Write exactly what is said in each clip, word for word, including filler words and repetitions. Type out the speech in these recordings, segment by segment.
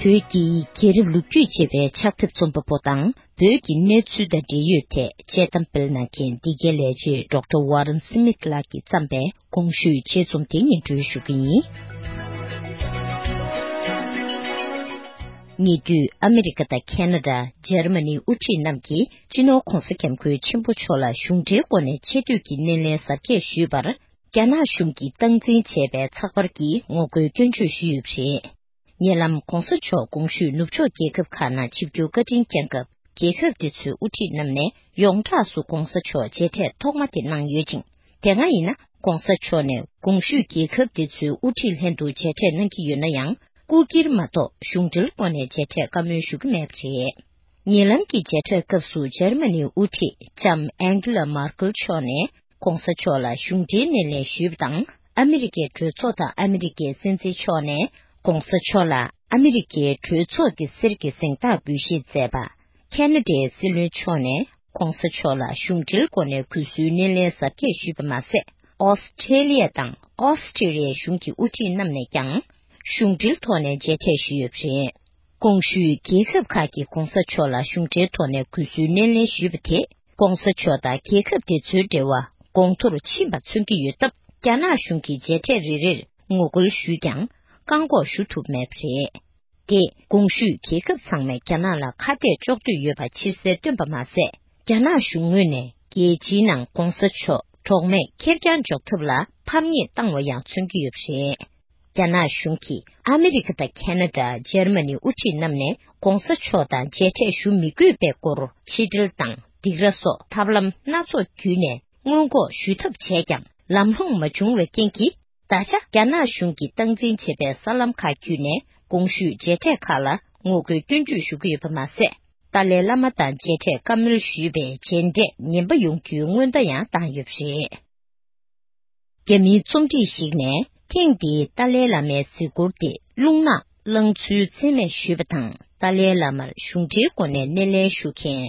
བོད་ཀྱི་རྒྱལ་རབས་ལོ་རྒྱུས་ཅེས་པའི་ཕྱག་དེབ་རྩོམ་པ་པོ་དང་། བོད་ཀྱི་གནས་ཚུལ་དང་འབྲེལ་ཡོད་ཐད་དཔྱད་གཏམ་སྤེལ་གནང་མཁན་འདི་གའི་ལས་བྱེད་ཌོག་ཊར་ཝ་རན་སི་མིད་ལགས་ཀྱིས་བརྩམས་པའི་གོང་ཞུས་ཆེད་རྩོམ་དེ་སྙན་སྒྲོན་ཞུ་གི་ཡིན། ཉེ་དུས་ཨ་མི་རི་ཀ་དང་ཁེ་ན་ཌ། འཇར་མ་ནིའི་དབུ་ཁྲིད་རྣམས་ཀྱིས་སྤྱི་ནོར་༧གོང་ས་༧སྐྱབས་མགོན་ཆེན་པོ་མཆོག་ལ་གཞུང་འབྲེལ་སྒོ་ནས་ཆེ་བསྟོད་ཀྱི་སྣེ་ལེན་གཟབ་རྒྱས་ཞུས་པར། རྒྱ་ནག་གཞུང་གིས་སྟངས་འཛིན་བྱས་པའི་ཚགས་པར་གྱིས་ངོ་རྒོལ་སྐྱོན་བརྗོད་ཞུས་ཡོད་པ་རེད། ཉེ་ལམ་༧གོང་ས་མཆོག་གོང་ཞུས་ནུབ་ཕྱོགས་རྒྱལ་ཁབ་ཁག་ནང་ཆིབས་བསྒྱུར་བཀའ་དྲིན་བསྐྱངས་སྐབས། རྒྱལ་ཁབ་དེ་ཚོའི་དབུ་ཁྲིད་རྣམས་ནས་ཡོངས་གྲགས་སུ་༧གོང་ས་མཆོག་མཇལ་འཕྲད་ཐོག་མ་དེ་གནང་ཡོད་ཅིང་། དེ་སྔ་ཡིན་ན་༧གོང་ས་མཆོག་ནས་གོང་ཞུས་རྒྱལ་ཁབ་དེ་ཚོའི་དབུ་ཁྲིད་ལྷན་དུ་མཇལ་འཕྲད་གནང་གི་ཡོད་ན་ཡང་། སྐུ་སྒེར་མ་གཏོགས་གཞུང་འབྲེལ་སྒོ་ནས་མཇལ་འཕྲད་བཀའ་མོལ་ཞུ་གི་མེད་པ་རེད། ཉེ་ལམ་གྱི་མཇལ་འཕྲད་སྐབས་སུ་འཇར་མ་ནིའི་དབུ་ཁྲིད་ལྕམ་ཨན་གྷི་ལ་མར་ཀལ་མཆོག་ནས། ༸གོང་ས་མཆོག་ལ་གཞུང་འབྲེལ་སྣེ་ལེན་ཞུས་པ་དང་། ཨ་མི་རི་ཀའི་གྲོས་ཚོགས་དང་ཨ་མི་རི་ཀའི་སྲིད་འཛིན་མཆོག་ནས་༸གོང་ས་མཆོག་ལ་ཨ་མི་རི་ཀའི་གྲོས་ཚོགས་ཀྱི་གསེར་གྱི་གཟེངས་རྟགས་འབུལ་བཞེས་མཛད་པ། ཁེ་ན་ཌའི་སྲིད་བློན་མཆོག་ནས་༸གོང་ས་མཆོག་ལ་གཞུང་འབྲེལ་སྒོ་ནས་གུས་བསུའི་སྣེ་ལེན་གཟབ་རྒྱས་ཞུས་པ་མ་ཟད། ཨོ་སི་ཁྲེ་ལི་ཡ་དང་ཨོ་སི་ཁྲེ་ལི་ཡའི་གཞུང་གི་དབུ་ཁྲིད་རྣམས་ནས་ཀྱང་གཞུང་འབྲེལ་ཐོག་ནས་མཇལ་འཕྲད་ཞུས་ཡོད་པ་རེད། གོང་ཞུས་རྒྱལ་ཁབ་ཁག་གིས་༸གོང་ས་མཆོག་ལ་གཞུང་འབྲེལ་ཐོག་ནས་གུས་བསུའི་སྣེ་ལེན་ཞུས་པ་དེས་༸གོང་ས་མཆོག་དང་རྒྱལ་ཁབ་དེ་ཚོའི་འབྲེལ་བ་གོང་མཐོར་ཕྱིན་པ་མཚོན་གྱི་ཡོད་སྟབས། རྒྱ་ནག་གཞུང་གིས་མཇལ་འཕྲད་རེ་རེར་ངོ་རྒོལ་ཞུས་ཀྱང་བཀག་འགོག་ཞུ་ཐུབ་མེད་པ་རེད། དེས་གོང་ཞུས་རྒྱལ་ཁབ་ཚང་མས་རྒྱ་ནག་ལ་ཁ་གཏད་གཅོག་འདོད་ཡོད་པ་ཕྱིར་གསལ་བཏོན་པ་མ་ཟད། རྒྱ་ནག་གཞུང་ངོས་ནས་རྒྱལ་སྤྱིའི་ནང་༸གོང་ས་མཆོག་གྲོགས་མེད་ཁེར་རྐྱང་འཇོག་ཐབས་ལ་ཕམ་ཉེས་བཏང་བ་ཡང་མཚོན་གྱི་ཡོད་པ་རེད། རྒྱ་ནག་གཞུང་གིས་ཨ་མི་རི་ཀ་དང་ཁེ་ན་ཌ། འཇར་མ་ནིའི་དབུ་ཁྲིད་རྣམས་ནས་༸གོང་ས་མཆོག་དང་མཇལ་འཕྲད་ཞུ་མི་དགོས་པའི་སྐོར་ཕྱིར་འབྲེལ་དང་སྡིགས་ར་སོགས་ཐབས་ལམ་སྣ་ཚོགས་བརྒྱུད་ནས་སྔོན་འགོག་ཞུ་ཐབས་བྱས་ཀྱང་ལམ་ལྷོང་མ་བྱུང་བའི་རྐྱེན་གྱིས། ད་ཆ་རྒྱ་ནག་གཞུང་གིས་སྟངས་འཛིན་བྱས་པའི་གསར་ལམ་ཁག་བརྒྱུད་ནས་གོང་ཞུས་མཇལ་འཕྲད་ཁག་ལ་ངོ་རྒོལ་སྐྱོན་བརྗོད་ཞུ་གི་ཡོད་པ་མ་ཟད། ཏཱ་ལའི་བླ་མ་དང་མཇལ་འཕྲད་བཀའ་མོལ་ཞུས་པའི་མཇལ་འཕྲད་ངན་པ་ཡོང་རྒྱུའི་སྔོན་བརྡ་ཡང་བཏང་ཡོད་པ་རེད། རྒྱ་མིའི་རྩོམ་སྒྲིག་ཞིག་ནས་ཐེངས་འདིའི་ཏཱ་ལའི་བླ་མའི་གཟིགས་སྐོར་དེ་རླུང་ནག་བསླངས་ཚུལ་མཚན་སྨད་ཞུས་པ་དང་། ཏཱ་ལའི་བླ་མར་གཞུང་འབྲེལ་སྒོ་ནས་སྣེ་ལེན་ཞུ་མཁན་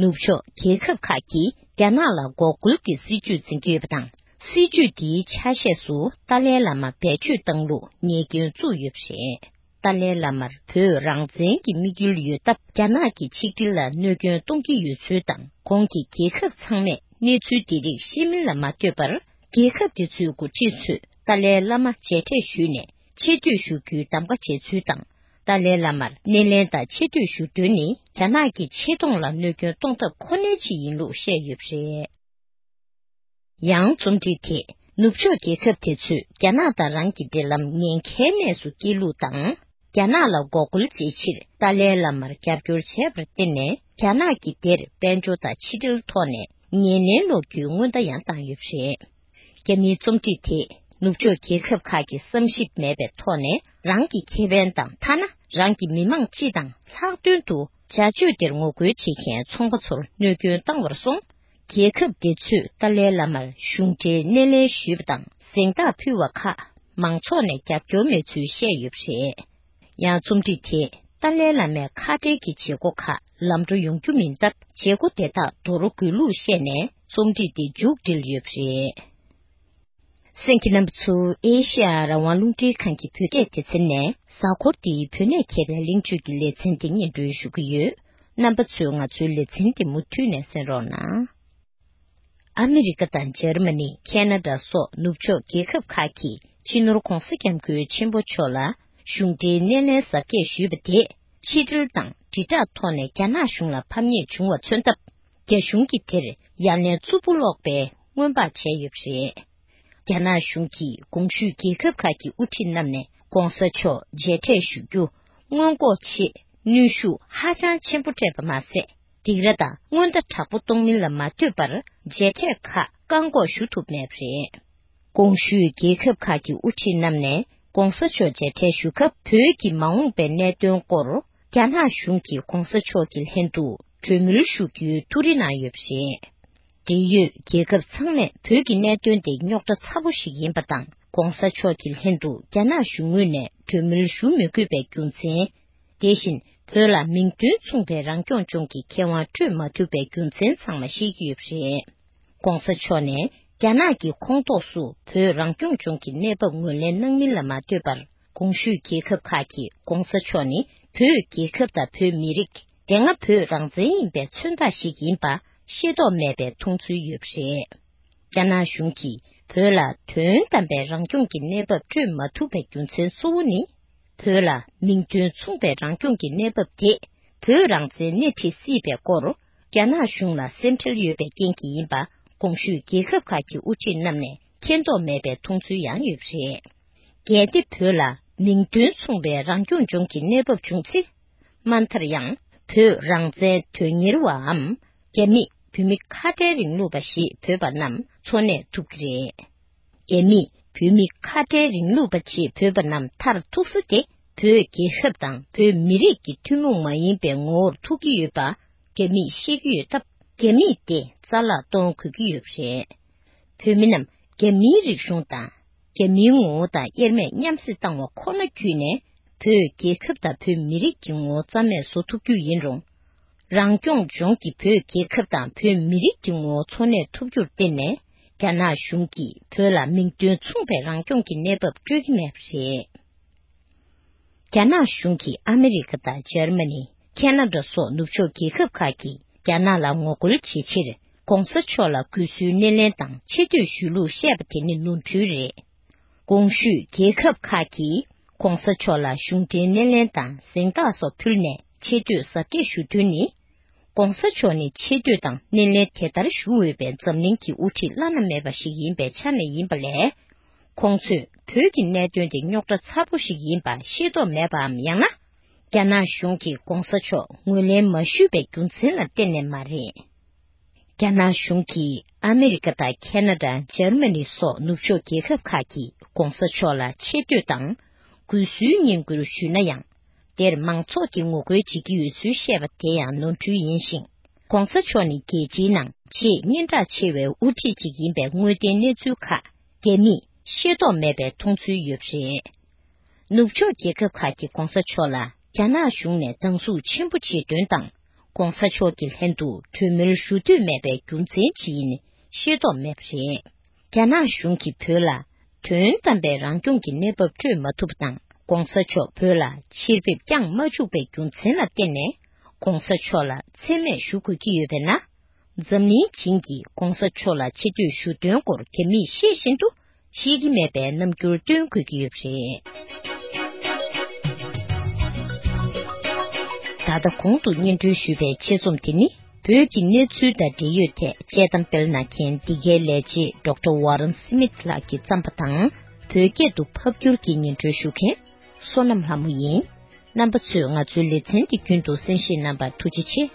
ནུབ་ཕྱོགས་རྒྱལ་ཁབ་ཁག་གིས་རྒྱ་ནག་ལ་འགོག་རྒོལ་གྱི་སྲིད་ཇུས་འཛིན་གྱི་ཡོད་པ་དང་། སྲིད་ཇུས་འདིའི་ཆ་ཤས་སུ་ཏཱ་ལའི་བླ་མ་བེད་སྤྱོད་བཏང་ལུགས་ཉེས་སྐྱོན་བཙུགས་ཡོད་པ་རེད། ཏཱ་ལའི་བླ་མར་བོད་རང་བཙན་གྱི་དམིགས་ཡུལ་ཡོད་སྟབས། རྒྱ་ནག་གི་ཆིག་སྒྲིལ་ལ་གནོད་སྐྱོན་གཏོང་གི་ཡོད་ཚུལ་དང་། ཁོང་གི་རྒྱལ་ཁབ་ཚང་མས་གནས་ཚུལ་འདི་རིགས་ཤེས་མིན་ལ་མ་ལྟོས་པར། རྒྱལ་ཁབ་དེ་ཚོའི་འགོ་ཁྲིད་ཚོས་ཏཱ་ལའི་བླ་མ་མཇལ་འཕྲད་ཞུས་ནས་ཆེ་བསྟོད་ཞུ་རྒྱུའི་གདམ་ག་བྱས་ཚུལ་དང་། ཏཱ་ལའི་བླ་མར་སྣེ་ལེན་དང་ཆེ་བསྟོད་ཞུ་དོན་ནི་རྒྱ་ནག་གི་ཆེ་མཐོང་ལ་གནོད་སྐྱོན་གཏོང་ཐབས་ཁོ་ནའི་ཆེད་ཡིན་ལུགས་བཤད་ཡོད་པ་རེད། ཡང་རྩོམ་སྒྲིག་དེས་ནུབ་ཕྱོགས་རྒྱལ་ཁབ་དེ་ཚོས་རྒྱ་ནག་དང་རང་གི་འབྲེལ་ལམ་ཉེན་ཁའི་གནས་སུ་སྐྱེལ་ལུགས་དང་། རྒྱ་ནག་ལ་འགོག་རྒོལ་བྱེད་ཕྱིར་ཏཱ་ལའི་བླ་མར་རྒྱབ་སྐྱོར་བྱས་པར་བརྟེན་ནས། རྒྱ་ནག་གིས་དེར་དཔལ་འབྱོར་དང་ཕྱི་འབྲེལ་ཐོག་ནས་ངན་ལན་སློག་རྒྱུའི་སྔོན་བརྡ་ཡང་བཏང་ཡོད་པ་རེད། རྒྱ་མིའི་རྩོམ་སྒྲིག་དེས་ནུབ་ཕྱོགས་རྒྱལ་ཁབ་ཁག་གིས་བསམ་ཞིབ་མེད་པའི་ཐོག་ནས་རང་གི་ཁེ་ཕན་དང་། ཐ་ན་རང་གི་མི་མང་སྤྱི་དང་ལྷག་དོན་དུ་བྱ་སྤྱོད་དེར་ངོ་རྒོལ་བྱེད་མཁན་ཚོང་པ་ཚོར་གནོད་སྐྱོན་བཏང་བར་སོང་། རྒྱལ་ཁབ་དེ་ཚོས་ཏཱ་ལའི་བླ་མར་གཞུང་འབྲེལ་སྣེ་ལེན་ཞུས་པ་དང་གཟེངས་རྟགས་ཕུལ་བ་ཁག་མང་ཚོགས་ནས་རྒྱབ་སྐྱོར་མེད་ཚུལ་བཤད་ཡོད་པ་རེད། ཡང་རྩོམ་སྒྲིག་དེས་ཏཱ་ལའི་བླ་མའི་ཁ་བྲལ་གྱི་བྱེད་སྒོ་ཁག་ལམ་འགྲོ་ཡོང་རྒྱུ་མིན་སྟབས། བྱེད་སྒོ་དེ་དག་འདོར་དགོས་ལུགས་བཤད་ནས་རྩོམ་སྒྲིག་དེ་མཇུག་སྒྲིལ་ཡོད་པ་རེད། གསན་མཁན་རྣམ་པ་ཚོ། ཨེ་ཤེ་ཡ་རང་དབང་རླུང་འཕྲིན་ཁང་གི་བོད་སྐད་སྡེ་ཚན་ནས་གཟའ་འཁོར་འདིའི་བོད་གནས་མཁས་པའི་གླེང་བརྗོད་ཀྱི་ལེ་ཚན་འདི་སྙན་སྒྲོན་ཞུ་གི་ཡོད། རྣམ་པ་ཚོས་ང་ཚོའི་ལེ་ཚན་འདི་མུ་མཐུད་ནས་གསན་རོགས་གནང་། ཨ་མི་རི་ཀ་དང་འཇར་མ་ནི། ཁེ་ན་ཌ་སོགས་ནུབ་ཕྱོགས་རྒྱལ་ཁབ་ཁག་གིས་སྤྱི་ནོར་༸གོང་ས་༸སྐྱབས་མགོན་ཆེན་པོ་མཆོག་ལ་གཞུང་འབྲེལ་སྣེ་ལེན་གཟབ་རྒྱས་ཞུས་པ་དེས། ཕྱི་འབྲེལ་དང་དྲིལ་བསྒྲགས་ཐོག་ནས་རྒྱ་ནག་གཞུང་ལ་ཕམ་ཉེས་བྱུང་བ་མཚོན་སྟབས། རྒྱ་གཞུང་གིས་དེར་ཡ་ལན་རྩུབ་པོ་སློག་པའི་སྔོན་དཔག་བྱས་ཡོད་པ་རེད། རྒྱ་ནག་གཞུང་གིས་གོང་ཞུས་རྒྱལ་ཁབ་ཁག་གི་དབུ་ཁྲིད་རྣམས་ནས་༸གོང་ས་མཆོག་མཇལ་འཕྲད་ཞུ་རྒྱུ་སྔོན་འགོག་ཆེད་གནོན་ཤུགས་ཧ་ཅང་ཆེན་པོ་སྤྲད་པ་མ་ཟད། སྡིགས་ར་དང་སྔོན་བརྡ་དྲག་པོ་གཏོང་མིན་ལ་མ་ལྟོས་པར། མཇལ་འཕྲད་ཁག་བཀག་འགོག་ཞུ་ཐུབ་མེད་པ་རེད། གོང་ཞུས་རྒྱལ་ཁབ་ཁག་གི་དབུ་ཁྲིད་རྣམས་ནས་༸གོང་ས་མཆོག་མཇལ་འཕྲད་ཞུ་སྐབས། བོད་ཀྱི་མ་འོངས་པའི་གནད་དོན་སྐོར། རྒྱ་ནག་གཞུང་གིས་༸གོང་ས་མཆོག་གི་ལྷན་དུ་གྲོས་མོལ་ཞུ་རྒྱུའི་ཐུགས་རེ་གནང་ཡོད་པ་རེད། འབྲེལ་ཡོད་རྒྱལ་ཁབ་ཚང་མས་བོད་ཀྱི་གནད་དོན་དེ་རྙོག་དྲ་ཚ་པོ་ཞིག་ཡིན་པ་དང་། ༸གོང་ས་མཆོག་གི་ལྷན་དུ་རྒྱ་ནག་གཞུང་ངོས་ནས་གྲོས་མོལ་ཞུ་མི་དགོས་པའི་རྒྱུ་མཚན། དེ་བཞིན་བོད་ལ་མིང་དོན་མཚུངས་པའི་རང་སྐྱོང་ལྗོངས་ཀྱི་ཁེ་དབང་སྤྲོད་མ་ཐུབ་པའི་རྒྱུ་མཚན་ཚང་མ་ཤེས་ཀྱི་ཡོད་པ་རེད། ༸གོང་ས་མཆོག་ནས་རྒྱ་ནག་གི་ཁོངས་གཏོགས་སུ་བོད་རང་སྐྱོང་ལྗོངས་ཀྱི་གནས་བབ་ངོས་ལེན་གནང་མིན་ལ་མ་ལྟོས་པར། གོང་ཞུས་རྒྱལ་ཁབ་ཁག་གིས་༸གོང་ས་མཆོག་ནི་ བོད་རྒྱལ་ཁབ་དང་བོད་མི་རིགས་དེ་སྔ་བོད་རང་བཙན་ཡིན་པའི་མཚོན་རྟགས་ཤིག་ཡིན་པ་ཤེས་རྟོགས་མེད་པའི་མཐོང་ཚུལ་ཡོད་པ་རེད། རྒྱ་ནག་གཞུང་གིས་བོད་ལ་དོན་དམ་པའི་རང་སྐྱོང་གི་གནས་བབ་སྤྲོད་མ་ཐུབ་པའི་རྒྱུ་མཚན་གཙོ་བོ་ནི། བོད་ལ་མིང་དོན་མཚུངས་པའི་རང་སྐྱོང་གི་གནས་བབ་དེས་བོད་རང་བཙན་སྣེ་ཁྲིད་སྲིད་པའི་སྐོར། རྒྱ་ནག་གཞུང་ལ་སེམས་ཁྲལ་ཡོད་པའི་རྐྱེན་གྱིས་ཡིན་པ། གོང་ཞུས་རྒྱལ་ཁབ་ཁག་གི་དབུ་ཁྲིད་རྣམས་ནས་མཁྱེན་རྟོགས་མེད་པའི་མཐོང་ཚུལ་ཡང་ཡོད་པ་རེད། གལ་ཏེ་བོད་ལ་མིང་དོན་མཚུངས་པའི་རང་སྐྱོང་ལྗོངས་ཀྱི་གནས་བབ་བྱུང་ཚེ། མ་མཐར་ཡང་བོད་རང་བཙན་དོན་གཉེར་བའམ། རྒྱ་མིས་བོད་མི་ཁ་བྲལ་རིང་ལུགས་པ་ཞེས་འབོད་པ་རྣམས་འཚོ་གནས་ཐུབ་ཀྱི་རེད། རྒྱ་མིས་བོད་མི་ཁ་བྲལ་རིང་ལུགས་པ་ཞེས་འབོད་པ་རྣམས་མཐར་ཐུག་ས་དེ་བོད་རྒྱལ་ཁབ་དང་བོད་མི་རིགས་ཀྱི་ཐུན་མོང་མ་ཡིན་པའི་ངོ་བོར་ཐུག་གི་ཡོད་པ་རྒྱ་མིས་ཤེས་ཀྱི་ཡོད་སྟབས། རྒྱ་མིས་དེ་རྩ་བརླག་གཏོང་དགོས་ཀྱི་ཡོད་པ་རེད། བོད་མི་རྣམས་རྒྱ་མིའི་རིག་གཞུང་དང་། རྒྱ་མིའི་ངོ་བོ་དང་དབྱེར་མེད་མཉམ་བསྲེས་བཏང་བ་ཁོ་ན་བརྒྱུད་ནས། བོད་རྒྱལ་ཁབ་དང་བོད་མི་རིགས་ཀྱི་ངོ་བོ་རྩ་མེད་བཟོ་ཐུབ་རྒྱུ་ཡིན་རུང་། རང་སྐྱོང་ལྗོངས་ཀྱི་བོད་རྒྱལ་ཁབ་དང་བོད་མི་རིགས་ཀྱི་ངོ་བོ་འཚོ་གནས་ཐུབ་རྒྱུར་བརྟེན་ནས། རྒྱ་ནག་གཞུང་གིས་བོད་ལ་མིང་དོན་མཚུངས་པའི་རང་སྐྱོང་གི་གནས་བབ་སྤྲོད་ཀྱི་མེད་པ་རེད། རྒྱ་ནག་གཞུང་གིས་ཨ་མི་རི་ཀ་དང་འཇར་མ་ནི། ཁེ་ན་ཌ་སོགས་ནུབ་ཕྱོགས་རྒྱལ་ཁབ་ཁག་གིས་རྒྱ་ནག་ལ་ངོ་རྒོལ་བྱེད་ཕྱིར། ༸གོང་ས་མཆོག་ལ་གུས་བསུའི་སྣེ་ལེན་དང་ཆེ་བསྟོད་ཞུས་ལུགས་བཤད་པ་དེ་ནི་ནོར་འཁྲུལ་རེད། གོང་ཞུས་རྒྱལ་ཁབ་ཁག་གིས་༸གོང་ས་མཆོག་ལ་གཞུང་འབྲེལ་སྣེ་ལེན་དང་གཟེངས་རྟགས་སོགས་ཕུལ་ནས་ཆེ་བསྟོད་གཟབ་རྒྱས་ཞུ་དོན་ནི། ༸གོང་ས་མཆོག་ནི་ཆེ་བསྟོད་དང་སྣེ་ལེན་དེ་ལྟར་ཞུ་འོས་པའི་འཛམ་གླིང་གི་དབུ་ཁྲིད་བླ་ན་མེད་པ་ཞིག་ཡིན་པའི་ཆ་ནས་ཡིན་པ་ལས། ཁོང་ཚོས་བོད་ཀྱི་གནད་དོན་དེ་རྙོག་དྲ་ཚ་པོ་ཞིག་ཡིན་པ་ཤེས་རྟོགས་མེད་པའམ། ཡང་ན། རྒྱ་ནག་གཞུང་གིས་༸གོང་ས་མཆོག་ངོས་ལེན་མ་ཞུས་པའི་རྒྱུ་མཚན་ལ་བརྟེན་ནས་མ་རེད། རྒྱ་ནག་གཞུང་གིས་ཨ་མི་རི་ཀ་དང་ཁེ་ན་ཌ། འཇར་མ་ནི་སོགས་ནུབ་ཕྱོགས་རྒྱལ་ཁབ་ཁག་གིས་༸གོང་ས་མཆོག་ལ་ཆེ་བསྟོད་དང་གུས་བསུའི་བསྙེན་བཀུར་ཞུས་ན་ཡང་། དེར་མང་ཚོགས་ཀྱིས་ངོ་རྒོལ་བྱེད་ཀྱི་ཡོད་ཚུལ་བཤད་པ་དེ་ཡང་ནོར་འཁྲུལ་ཡིན་ཞིང་། ༸གོང་ས་མཆོག་ནི་རྒྱལ་སྤྱིའི་ནང་ཆེས་སྙན་གྲགས་ཆེ་བའི་དབུ་ཁྲིད་ཅིག་ཡིན་པའི་དངོས་བདེན་གནས་ཚུལ་ཁག་རྒྱ་མིས་ཤེས་རྟོགས་མེད་པའི་མཐོང་ཚུལ་ཡོད་པ་རེད། ནུབ་ཕྱོགས་རྒྱལ་ཁབ་ཁག་གིས་༸གོང་ས་མཆོག་ལ་རྒྱ་ནག་གཞུང་ནས་སྡང་ཟུག་ཆེན་པོ་བྱེད་དོན་དང་། ༸གོང་ས་མཆོག་གི་ལྷན་དུ་གྲོས་མོལ་ཞུ་འདོད་མེད་པའི་རྒྱུ་མཚན་ཅི་ཡིན་ཤེས་རྟོགས་མེད་པ་རེད། རྒྱ་ནག་གཞུང་གིས་བོད་ལ་དོན་དམ་པའི་རང་སྐྱོང་གི་གནས་བབ་སྤྲོད་མ་ཐུབ་པ་དང་། ༸གོང་ས་མཆོག་བོད་ལ་ཕྱིར་ཕེབས་བསྐྱངས་མ་བཅུག་པའི་རྒྱུ་མཚན་ལ་བརྟེན་ནས། ༸གོང་ས་མཆོག་ལ་མཚན་སྨད་ཞུ་དགོས་ཀྱི་ཡོད་པས་ན། འཛམ་གླིང་བྱིངས་ཀྱིས་༸གོང་ས་མཆོག་ལ་ཆེ་བསྟོད་ཞུ་དོན་སྐོར་རྒྱ་མིས་ཤེས་བཞིན་དུ་ཤེས་ཀྱི་མེད་པའི་རྣམ་འགྱུར་སྟོན་དགོས་ཀྱི་ཡོད་པ་རེད། ད་ལྟ་གོང་དུ་སྙན་སྒྲོན་ཞུས་པའི་ཆེད་རྩོམ་དེ་ནི། བོད་ཀྱི་གནས་ཚུལ་དང་འབྲེལ་ཡོད་ཐད་དཔྱད་གཏམ་སྤེལ་གནང་མཁན་འདི་གའི་ལས་བྱེད་ཌོག་ཊར་ཝ་རན་སི་མིད་ལགས་ཀྱིས་བརྩམས་པ་དང་། བོད་སྐད་དུ་ཕབ་བསྒྱུར་གྱིས་སྙན་སྒྲོན་ཞུ་མཁན་བསོད་ནམས་ལྷ་མོ་ཡིན། རྣམ་པ་ཚོས་ང་ཚོའི་ལེ་ཚན་འདི་རྒྱུན་དུ་གསན་བཞེས་གནང་བར་ཐུགས་རྗེ་ཆེ།